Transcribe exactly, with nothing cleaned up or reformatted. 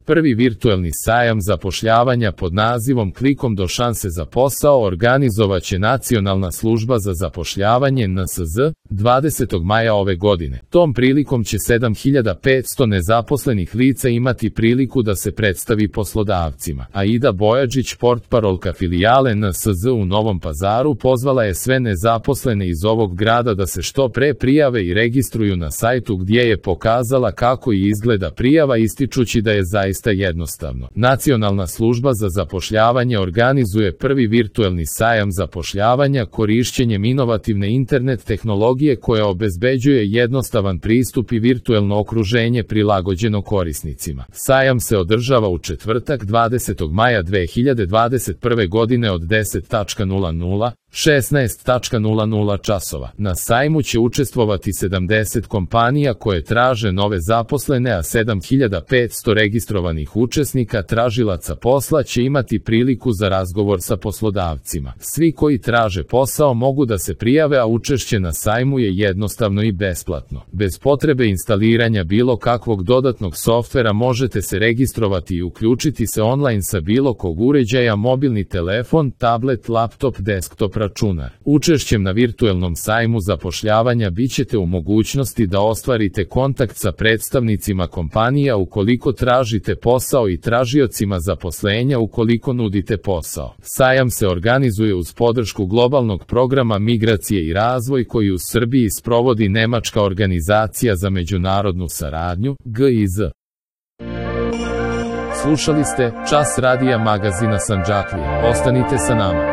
Prvi virtuelni sajam zapošljavanja pod nazivom Klikom do šanse za posao organizovaće Nacionalna služba za zapošljavanje N S Z dvadesetog maja ove godine. Tom prilikom će sedam hiljada petsto nezaposlenih lica imati priliku da se predstavi poslodavcima. Aida Bojađić, portparolka filijale N S Z u Novom Pazaru, pozvala je sve nezaposlene iz ovog grada da se što pre prijave i registruju na sajtu, gdje je pokazala kako i izgleda prijava, ističući da je zaista jednostavno. Nacionalna služba za zapošljavanje organizuje prvi virtuelni sajam zapošljavanja korišćenjem inovativne internet tehnologije koja obezbeđuje jednostavan pristup i virtuelno okruženje prilagođeno korisnicima. Sajam se održava u četvrtak dvadesetog maja dve hiljade dvadeset prve godine od deset do šesnaest časova. Na sajmu će učestvovati sedamdeset kompanija koje traže nove zaposlene, a sedam hiljada petsto registrovanih učesnika tražilaca posla će imati priliku za razgovor sa poslodavcima. Svi koji traže posao mogu da se prijave, a učešće na sajmu je jednostavno i besplatno. Bez potrebe instaliranja bilo kakvog dodatnog softvera možete se registrovati i uključiti se online sa bilo kog uređaja, mobilni telefon, tablet, laptop, desktop, računar. Učešćem na virtuelnom sajmu zapošljavanja bićete u mogućnosti da ostvarite kontakt sa predstavnicima kompanija ukoliko tražite posao i tražiocima zaposlenja ukoliko nudite posao. Sajam se organizuje uz podršku globalnog programa Migracije i razvoj koji u Srbiji sprovodi Nemačka organizacija za međunarodnu saradnju, G I Z. Slušali ste Čas radija magazina Sandžaklija. Ostanite sa nama.